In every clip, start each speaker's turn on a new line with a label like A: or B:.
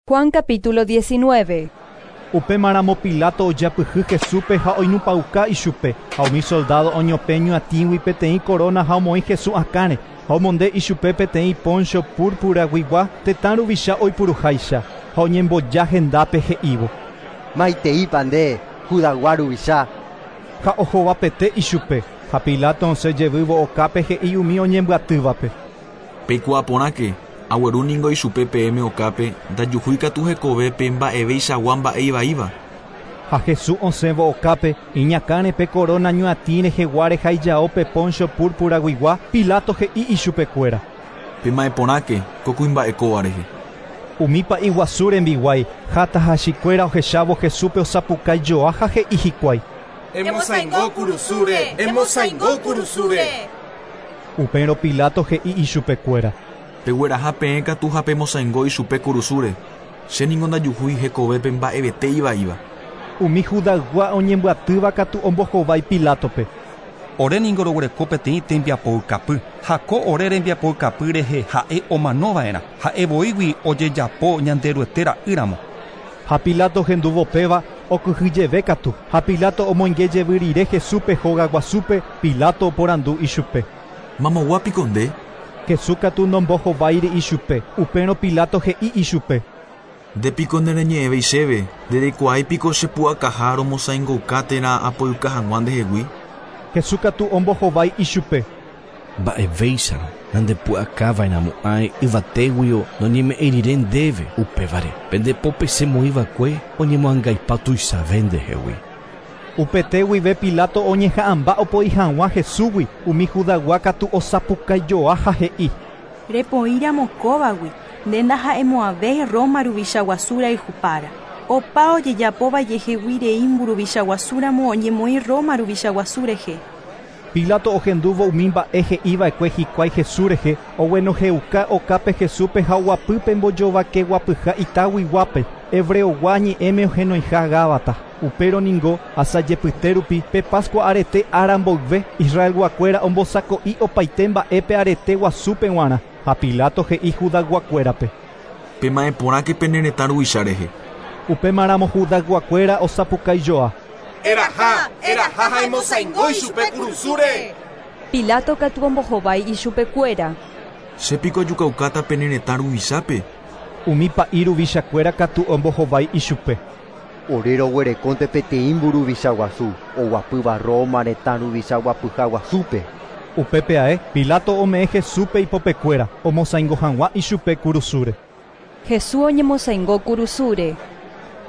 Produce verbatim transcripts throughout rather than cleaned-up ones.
A: Juan capítulo diecinueve.
B: Upémaramo Pilato ojapyhy Jesúspe ha oinupãuka ichupe, ha umi soldado oñopẽ ñuatĩgui peteĩ corona ha omoĩ Jesús akãre, ha omonde ichupe peteĩ poncho púrpuraguigua tetã ruvicha oipuruháicha, ha oñemboja hendápe he'ívo.
C: Maiteípa nde, Judaygua ruvicha.
B: Ha ohovapete ichupe, ha Pilato osẽ jevývo okápe he'i umi oñembyatývape.
D: Peikuaa porãke, agueru ningo ichupe peẽme okápe, ndajuhúi katu hekovépe mba'eveichagua mba'e ivaíva.
B: Ha Jesús osẽvo okápe, iñakãre pe corona ñuatĩ reheguáre ha ijaópe poncho púrpuraguigua, Pilato he'i ichupekuéra.
D: Pema'ẽ porãke ko kuimba'e kóva rehe.
B: Umi pa'i guasu rembiguái ha tahachikuéra ohechávo Jesúspe osapukaijoa ha he'i hikuái.
E: Emosaingo kurusúre, emosaingo kurusúre.
B: Upérõ Pilato he'i ichupekuéra.
D: Pegueraha peẽ katu ha pemosaingo ichupe kurusúre, che ningo ndajuhúi hekovépe mba'evete ivaíva.
B: Umi Judaygua oñembyatýva katu ombohovái Pilátope.
F: Ore ningo roguereko peteĩ tembiapoukapy, ha ko ore rembiapoukapy rehe ha'e omanova'erã, ha'evoígui ojejapo Ñanderuete ra'ýramo.
B: Ha Pilato hendúvo péva okyhyjeve katu, ha Pilato omoinge jevy rire Jesúspe hogaguasúpe, Pilato oporandu ichupe.
D: Mamoguápiko nde?
B: Jesús katu nombohováiri ichupe, upérõ Pilato he'i ichupe.
D: Ndépiko nereñe'ẽvéi chéve, ndereikuaáipiko chepu'akaha romosaingouka térã apoyka hag̃ua ndehegui.
B: Jesús katu ombohovái ichupe.
G: Mba'evéicharõ nandepu'akava'erãmo'ãi yvatéguio noñeme'ẽrire ndéve upévare pendepópe chemoĩva'ekue oñemoangaipa tuichave ndehegui.
B: Upete guive Pilato oñeha'ãmba opoi hag̃ua Jesúsgui, umi Judaygua katu osapukaijoa ha he'i.
H: Repoíramo kóvagui, nde ndaha'emo'ãvéi Roma ruvichaguasu rayhupára. Opa ojejapóva jehegui rei mburuvichaguasúramo oñemoĩ Roma ruvichaguasu rehe.
B: Pilato ohendúvo umi mba'e he'iva'ekue hikuái Jesús rehe, oguenohẽuka okápe Jesúspe ha oguapýpe mbojovakeguapyha itaguiguápe, hebreogua ñe'ẽme ohenoiha Gábata. Upérõ ningo asajepyte rupi pe Pascua arete ára mboyve, Israelguakuéra ombosako'i opaite mba'épe arete guasúpe g̃uarã, ha Pilato he'i Judayguakuérape.
D: Pema'ẽ porãke pene retã ruvicha rehe.
B: Upémaramo Judayguakuéra osapukaijoa.
E: Eraha, eraha ha emosaingo ichupe kurusúre.
A: Pilato katu ombohovái ichupekuéra.
D: Chépiko ajukaukáta pene retã ruvichápe.
B: Umi pa'i ruvichakuéra katu ombohovái ichupe.
C: Ore roguerekónte peteĩ mburuvichaguasu, oguapýva Roma retã ruvichaguapyhaguasúpe.
B: Upépe ae, Pilato ome'ẽ Jesúspe ipopekuéra, omosaingo hag̃ua ichupe kurusúre.
A: Jesús oñemosaingo kurusúre.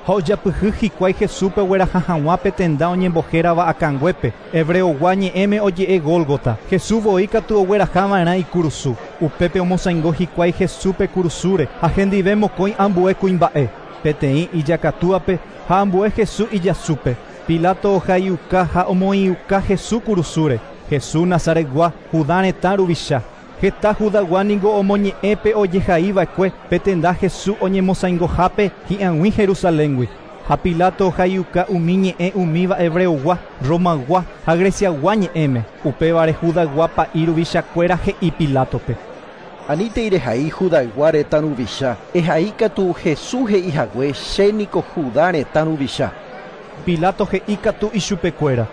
B: Ha ojapyhy hikuái Jesúspe ogueraha hag̃ua pe tenda oñembohérava akãnguépe, hebreogua ñe'ẽme oje'e Gólgota. Jesús voi katu oguerahava'erã ikurusu. Upépe omosaingo hikuái Jesúspe kurusúre ha hendive mokõi ambue kuimba'e, peteĩ ijakatúape ha ambue Jesús ijasúpe. Pilato ohaiuka ha omoĩuka Jesús kurusúre. Jesús Nazaretgua, Judá retã ruvicha. Heta Judaygua ningo omoñe'ẽpe ojehaiva'ekue pe tenda Jesús oñemosaingohápe hi'ag̃ui Jerusaléngui. Ha Pilato ohaiuka umi ñe'ẽ umíva hebreogua, Romaygua ha Greciaygua ñe'ẽme. Upévare Judaygua pa'i ruvichakuéra he'i Pilátope.
I: Anítei rehai Judaygua retã ruvicha, ehai katu Jesús he'ihague chéniko Judá retã ruvicha.
B: Pilato he'i katu ichupekuéra.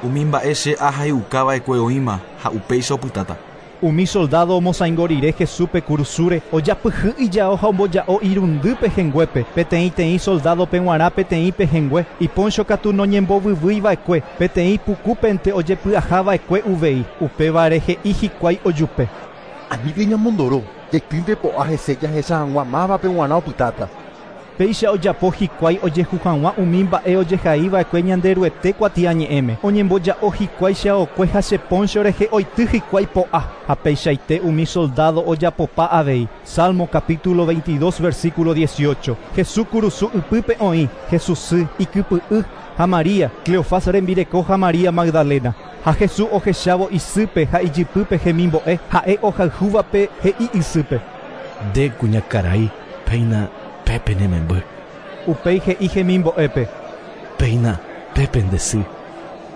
D: Umi mba'e che ahaiukava'ekue oĩma ha upéicha opytáta.
B: Umi soldado omosaingo rire Jesúspe kurusúre, ojapyhy ijao ha omboja'o irundy pehẽnguépe, peteĩteĩ soldadope g̃uarã peteĩ pehẽngue, iponcho katu noñembovyvýiva'ekue, peteĩ pukúpente ojepy'ahava'ekue uvei, upévare he'i hikuái ojupe.
I: Anítei ñamondoro, jaitýnte po'a hese jahecha hag̃ua mávape g̃uarã opytáta.
B: Péicha ojapo hikuái ojehu hag̃ua umi mba'e ojehaiva'ekue Ñanderuete kuatiañe'ẽme. Oñemboja'o hikuái cheaokue ha che poncho rehe oity hikuái po'a, ha peichaite umi soldado ojapopa avei. Salmo capítulo veintidós versículo dieciocho. Jesús kurusu ypýpe oĩ, Jesús sy, ikypy'y ha María, Cleofás rembireko ha María Magdalena. Ha Jesús ohechávo isýpe ha ijypýpe hemimbo'e, ha'e ohayhúvape he'i isýpe.
G: Nde kuñakarai, péina pépe ne memby.
B: Upéi he'i hemimbo'épe.
G: Péina pépe nde sy.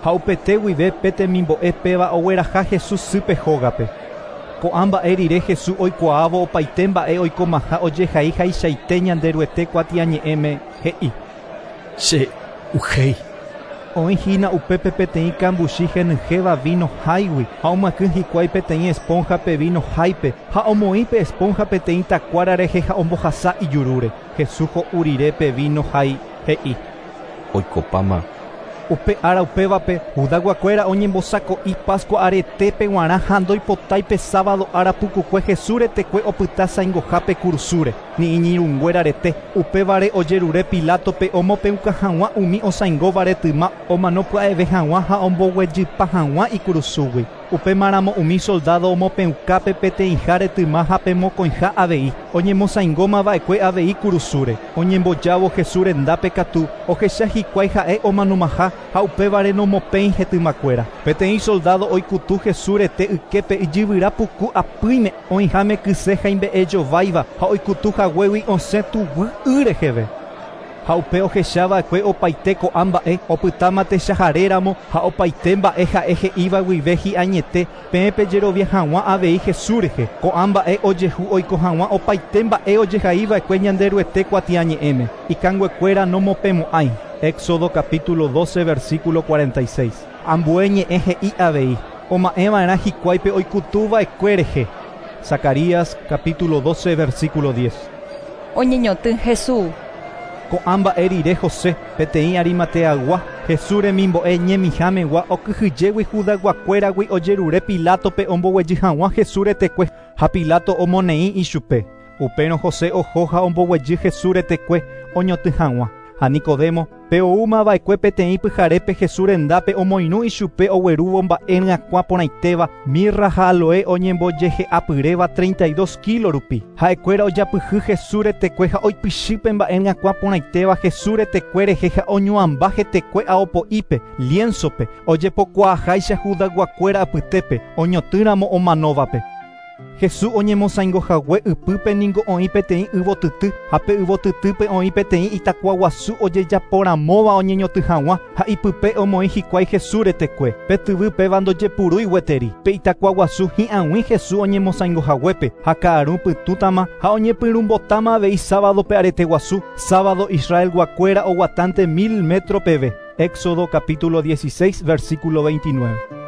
B: Ha upete guive pe temimbo'e péva ogueraha Jesús sýpe hógape. Ko'ã mba'e rire Jesús oikuaávo opaite mba'e oikomaha ojehai haichaite Ñanderuete kuatiañe'ẽme he'i.
G: Che uhéi.
B: Oĩ hína upépe peteĩ kambuchi henyhẽva vino háigui ha omyakỹ hikuái peteĩ esponja-pe vino háipe ha omoĩ pe esponja peteĩ takuára rehe ha ombohasa ijurúre. Jesús ho'u rire pe vino hái he'i.
J: Oikopáma.
B: Upe ára upévape Judayguakuéra oñembosako'i Pascua aretépe g̃uarã ha ndoipotái sábado ára pukukue Jesús retekue opyta saingohápe kurusúre ni iñirũnguéra rete. Upévare ojerure Pilátope omopẽuka hag̃ua umi osaingóva retyma omano pya'eve hag̃ua ha omboguejypa hag̃ua ikurusúgui. Upémaramo umi soldado omopẽukápe peteĩha retyma ha pe mokõiha avei oñemosaingómava'ekue avei kurusúre. Oñembojávo Jesús rendápe katu ohecha hikuái ha'e omanomaha ha upévare nomopẽi hetymakuéra. Peteĩ soldado oikutu Jesús rete yképe ijyvyra puku apýime oĩháme kyse haimbe'ejováiva ha oikutu haguégui osẽ tuguy y reheve. Ha upe ohechava'ekue opaite ko'ã mba'e opytáma techaharéramo ha opaite mba'e ha'e he'íva guive hi'añete peẽ pejerovia hag̃ua avei Jesús rehe. Ko'ã mba'e ojehu oiko hag̃ua opaite mba'e ojehaiva'ekue Ñanderuete kuatiañe'ẽme. Ikanguekuéra nomopẽmo'ãi. Éxodo capítulo doce versículo cuarenta y seis. Ambue ñe'ẽ he'i avei oma'ẽva'erã hikuáipe oikutuva'ekue rehe. Zacarías capítulo doce versículo diez.
A: Oñeñotỹ Jesús.
B: Ko'ã mba'e rire José peteĩ Arimateagua Jesús remimbo'e ñemihámegua okyhyjégui Judayguakuéragui ojerure Pilátope omboguejy hag̃ua Jesús retekue ha Pilato omoneĩ ichupe. Upérõ José oho ha omboguejy Jesús retekue oñotỹ hag̃ua. Ha Nicodemo pe oúmava'ekue peteĩ pyharépe Jesús rendápe omoirũ ichupe oguerúvo mba'e ryakuã porãitéva mirra ha aloe oñembojehe'apyréva treinta y dos kilo rupi. Ha'ekuéra ojapyhy Jesús retekue ha oipychýpe mba'e ryakuã porãitéva Jesús retekue rehe ha oñuãmba hetekue aopo'ípe lienzope ojepokuaaháicha Judayguakuéra apytépe oñotỹramo omanóvape. Jesús oñemosaingohague ypýpe ningo oĩ peteĩ yvotyty ha pe yvotytýpe oĩ peteĩ itakuaguasu ojejaporamóva oñeñotỹ hag̃ua ha ipype omoĩ hikuái Jesús retekue. Pe tyvy péva ndojepurúi gueteri. Pe itakuaguasu hi'ag̃ui Jesús oñemosaingohaguépe ha ka'aru pytũtama ha oñepyrũmbotáma avei sábadope areteguasu. Sábado Israelguakuéra oguatánte mil metro peve. Éxodo capítulo dieciséis versículo veintinueve.